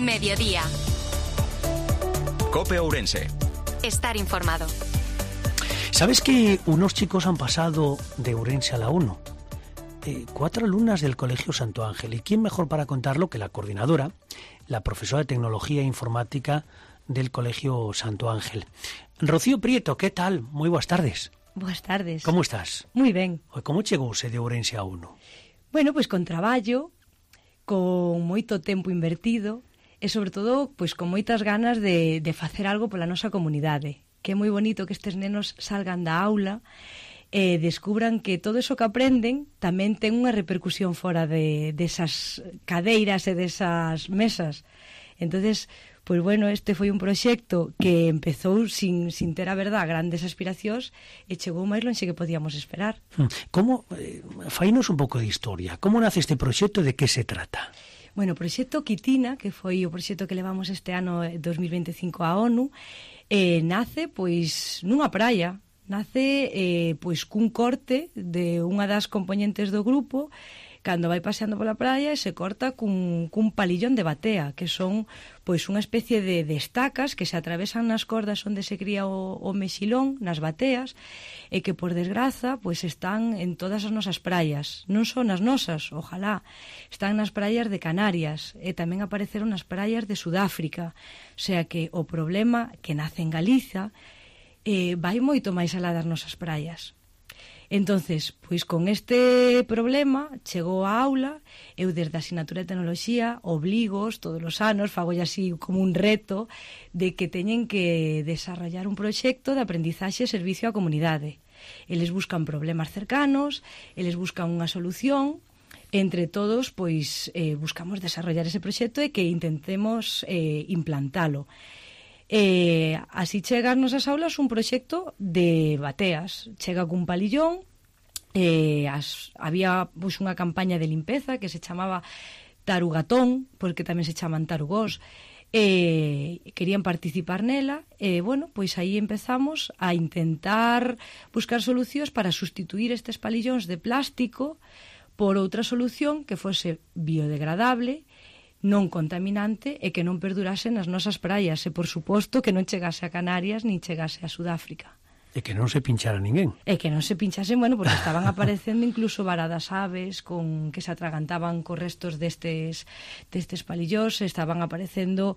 Mediodía. COPE Ourense. Estar informado. ¿Sabes que unos chicos han pasado de Ourense a la 1? 4 alumnas del Colegio Santo Ángel. ¿Y quién mejor para contarlo que la coordinadora, la profesora de Tecnología e Informática del Colegio Santo Ángel? Rocío Prieto, ¿qué tal? Muy buenas tardes. Boas tardes. Como estás? Moi ben. Como chegouse de Ourense a 1? Bueno, pois con traballo, con moito tempo invertido e, sobre todo, pois con moitas ganas de facer algo pola nosa comunidade. Que é moi bonito que estes nenos salgan da aula e descubran que todo eso que aprenden tamén ten unha repercusión fora desas cadeiras e desas mesas. Entonces, pois bueno, este foi un proxecto que empezou sin ter a verdad grandes aspiracións e chegou máis lonxe que podíamos esperar. Como, fainos un pouco de historia. Como nace este proxecto e de que se trata? Bueno, o proxecto Quitina, que foi o proxecto que levamos este ano 2025 á ONU, nace pois nunha praia. Nace pois cun corte de unha das componentes do grupo cando vai paseando pola praia e se corta cun palillón de batea, que son pois unha especie de estacas que se atravesan nas cordas onde se cría o mexilón, nas bateas, e que por desgraza pois están en todas as nosas praias, non só nas nosas, ojalá, están nas praias de Canarias e tamén apareceron nas praias de Sudáfrica, o sea que o problema que nace en Galiza vai moito máis alá das nosas praias. Entonces, pois con este problema chegou a aula, eu desde a asignatura de Tecnoloxía obligos todos os anos, fagolle así como un reto de que teñen que desarrollar un proxecto de aprendizaxe e servicio á comunidade. Eles buscan problemas cercanos, eles buscan unha solución, entre todos pois buscamos desarrollar ese proxecto e que intentemos implantalo. Así chega ás nosas aulas un proxecto de bateas. Chega cun palillón, había pois, unha campaña de limpeza que se chamaba Tarugatón, porque tamén se chaman tarugós, querían participar nela e, bueno, pois aí empezamos a intentar buscar solucións para sustituir estes palillóns de plástico por outra solución que fose biodegradable, non contaminante e que non perdurase nas nosas praias e, por suposto, que non chegase a Canarias nin chegase a Sudáfrica. E que non se pinchara ninguén. E que non se pinchasen, bueno, porque estaban aparecendo incluso varadas aves que se atragantaban co restos destes palillós, estaban aparecendo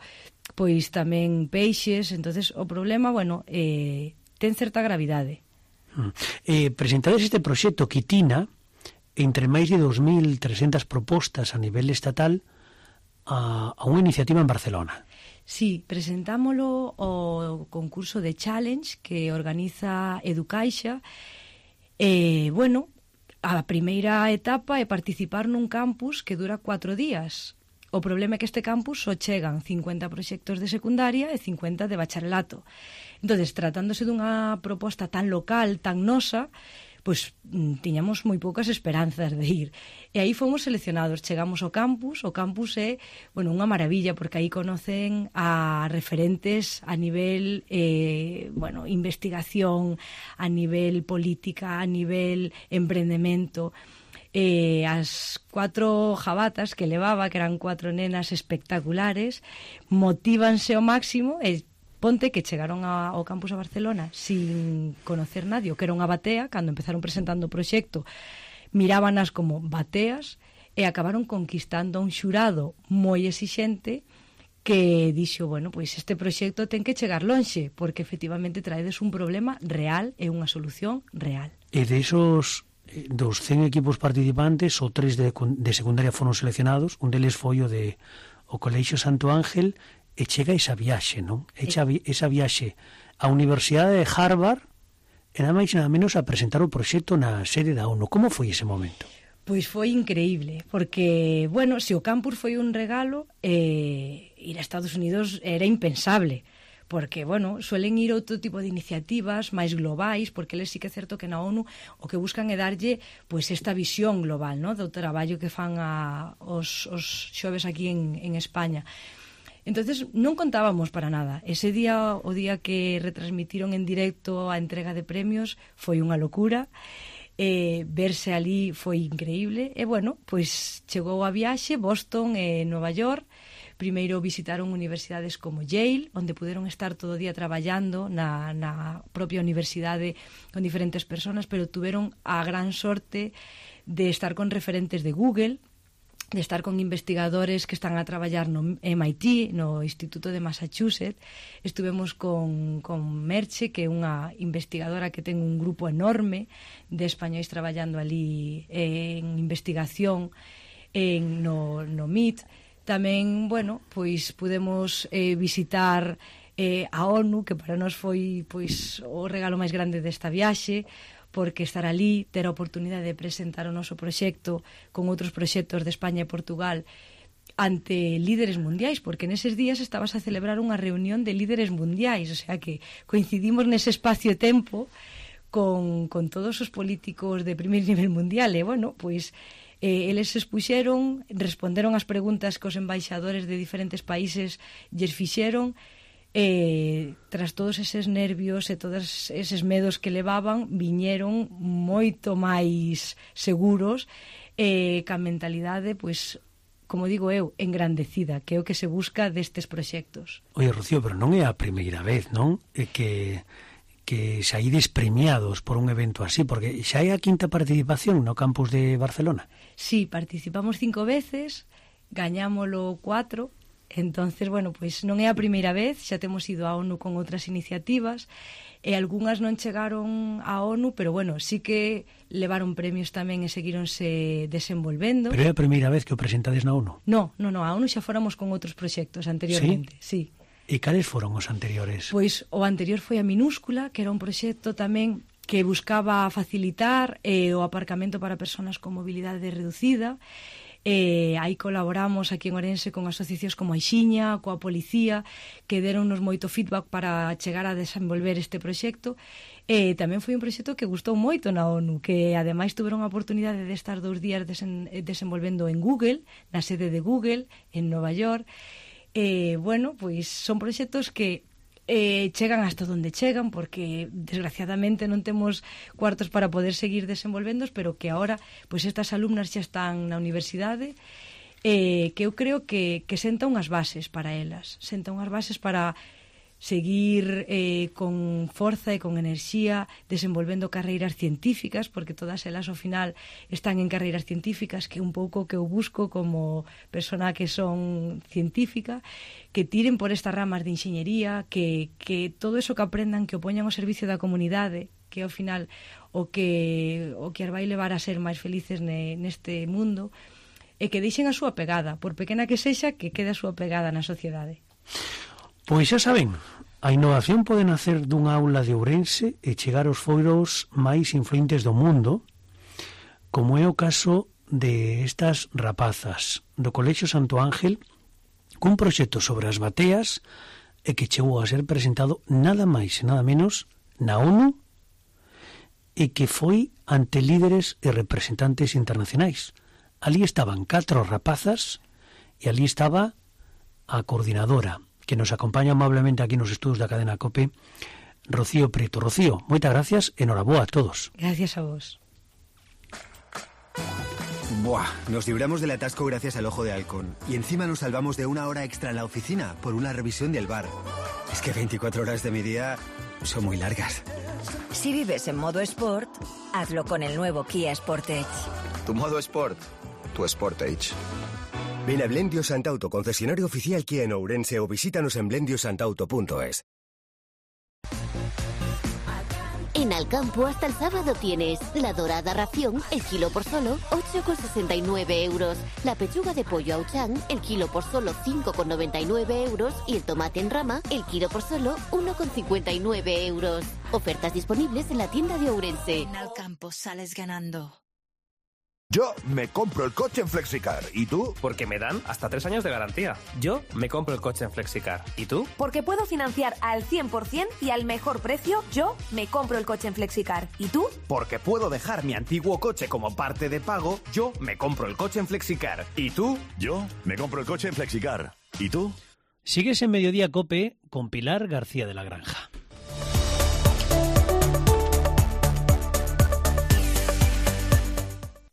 pois tamén peixes, entonces o problema, bueno, ten certa gravidade. Presentades este proxecto Quitina entre máis de 2.300 propostas a nivel estatal a unha iniciativa en Barcelona. Sí, presentámolo ao concurso de Challenge que organiza Educaixa. Bueno, a primeira etapa é participar nun campus que dura 4 días. O problema é que este campus só chegan 50 proxectos de secundaria e 50 de bacharelato. Entonces, tratándose dunha proposta tan local, tan nosa, pois tiñamos moi poucas esperanzas de ir. E aí fomos seleccionados, chegamos ao campus. O campus é, bueno, unha maravilla, porque aí conocen a referentes a nivel, bueno, investigación, a nivel política, a nivel emprendemento. As 4 jabatas que levaba, que eran 4 nenas espectaculares, motívanse ao máximo e ponte que chegaron ao campus a Barcelona sin conocer nadie, que era unha batea. Cando empezaron presentando o proxecto mirábanas como bateas e acabaron conquistando a un xurado moi exixente que dixo, bueno, pois este proxecto ten que chegar lonxe, porque efectivamente traedes un problema real e unha solución real. E de esos dos 100 equipos participantes, o 3 de secundaria foron seleccionados, un deles foi o Colexio Santo Ángel. E chega esa viaxe, non? Esa viaxe á Universidade de Harvard e nada máis nada menos a presentar o proxecto na sede da ONU. Como foi ese momento? Pois foi increíble, porque, bueno, se o campus foi un regalo, ir a Estados Unidos era impensable, porque, bueno, suelen ir outro tipo de iniciativas máis globais, porque eles sí que é certo que na ONU o que buscan é darlle pois esta visión global, ¿no?, do traballo que fan os xoves aquí en España. Entonces non contábamos para nada. Ese día, o día que retransmitiron en directo a entrega de premios, foi unha locura. Verse ali foi increíble. E, bueno, pois chegou a viaxe, Boston e Nova York, Primeiro visitaron universidades como Yale, onde puderon estar todo o día traballando na propia universidade con diferentes personas, pero tuveron a gran sorte de estar con referentes de Google, de estar con investigadores que están a traballar no MIT, no Instituto de Massachusetts. Estuvemos con Merche, que é unha investigadora que ten un grupo enorme de españois traballando ali en investigación no MIT. Tamén, bueno, pois pudemos visitar a ONU, que para nós foi pois o regalo máis grande desta viaxe, porque estar ali, ter a oportunidade de presentar o noso proxecto con outros proxectos de España e Portugal ante líderes mundiais, porque neses días estabas a celebrar unha reunión de líderes mundiais, o sea que coincidimos nese espacio e tempo con todos os políticos de primeiro nivel mundial, e bueno, pois eles se expuxeron, responderon as preguntas que os embaixadores de diferentes países lles fixeron. Tras todos eses nervios e todos eses medos que levaban, viñeron moito máis seguros, ca mentalidade, pois, como digo eu, engrandecida, que é o que se busca destes proxectos. Oye, Rocío, pero non é a primeira vez, non? Que saídes premiados por un evento así, porque xa é a quinta participación no campus de Barcelona. Sí, participamos 5 veces, gañámolo 4. Entonces, bueno, pois non é a primeira vez, xa temos ido á ONU con outras iniciativas, e algunhas non chegaron á ONU, pero bueno, sí que levaron premios tamén e seguíronse desenvolvendo. Pero é a primeira vez que o presentades na ONU? No, a ONU xa fóramos con outros proxectos anteriormente, sí. E cales foron os anteriores? Pois o anterior foi a Minúscula, que era un proxecto tamén que buscaba facilitar o aparcamento para persoas con mobilidade reducida. Aí colaboramos aquí en Ourense con asociacións como a Ixiña, coa policía, que deronnos moito feedback para chegar a desenvolver este proxecto. Tamén foi un proxecto que gustou moito na ONU, que ademais tuveron a oportunidade de estar 2 días desenvolvendo en Google, na sede de Google, en Nova York. Bueno, pois son proxectos que chegan hasta onde chegan, porque desgraciadamente non temos cuartos para poder seguir desenvolvendos, pero que agora pois estas alumnas xa están na universidade, que eu creo que senta unhas bases para elas, senta unhas bases para seguir con forza e con enerxía desenvolvendo carreiras científicas, porque todas elas ao final están en carreiras científicas, que é un pouco que eu busco como persona que son científica, que tiren por estas ramas de enxeñería, que todo eso que aprendan que o poñan ao servicio da comunidade, que ao final o que as vai levar a ser máis felices neste mundo, e que deixen a súa pegada, por pequena que sexa, que quede a súa pegada na sociedade. Pois xa saben, a innovación pode nacer dunha aula de Ourense e chegar aos foros máis influentes do mundo, como é o caso de estas rapazas do Colexio Santo Ángel, cun proxecto sobre as bateas e que chegou a ser presentado nada máis e nada menos na ONU, e que foi ante líderes e representantes internacionais. Ali estaban 4 rapazas e ali estaba a coordinadora, que nos acompaña amablemente aquí nos estudos da cadena COPE, Rocío Prieto. Rocío, moitas gracias e noraboa a todos. Gracias a vos. Buah, nos libramos del atasco gracias al Ojo de Halcón. Y encima nos salvamos de 1 hora extra en la oficina por una revisión del bar. Es que 24 horas de mi día son muy largas. Si vives en modo Sport, hazlo con el nuevo Kia Sportage. Tu modo Sport, tu Sportage. Ven a Blendio Santauto, concesionario oficial Kia en Ourense, o visítanos en blendiosantauto.es. En Alcampo hasta el sábado tienes la dorada ración, el kilo por solo 8,69 euros. La pechuga de pollo Auchan, el kilo por solo 5,99 euros. Y el tomate en rama, el kilo por solo 1,59 euros. Ofertas disponibles en la tienda de Ourense. En Alcampo sales ganando. Yo me compro el coche en Flexicar. ¿Y tú? Porque me dan hasta 3 años de garantía. Yo me compro el coche en Flexicar. ¿Y tú? Porque puedo financiar al 100% y al mejor precio. Yo me compro el coche en Flexicar. ¿Y tú? Porque puedo dejar mi antiguo coche como parte de pago. Yo me compro el coche en Flexicar. ¿Y tú? Yo me compro el coche en Flexicar. ¿Y tú? Sigues en Mediodía COPE con Pilar García de la Granja.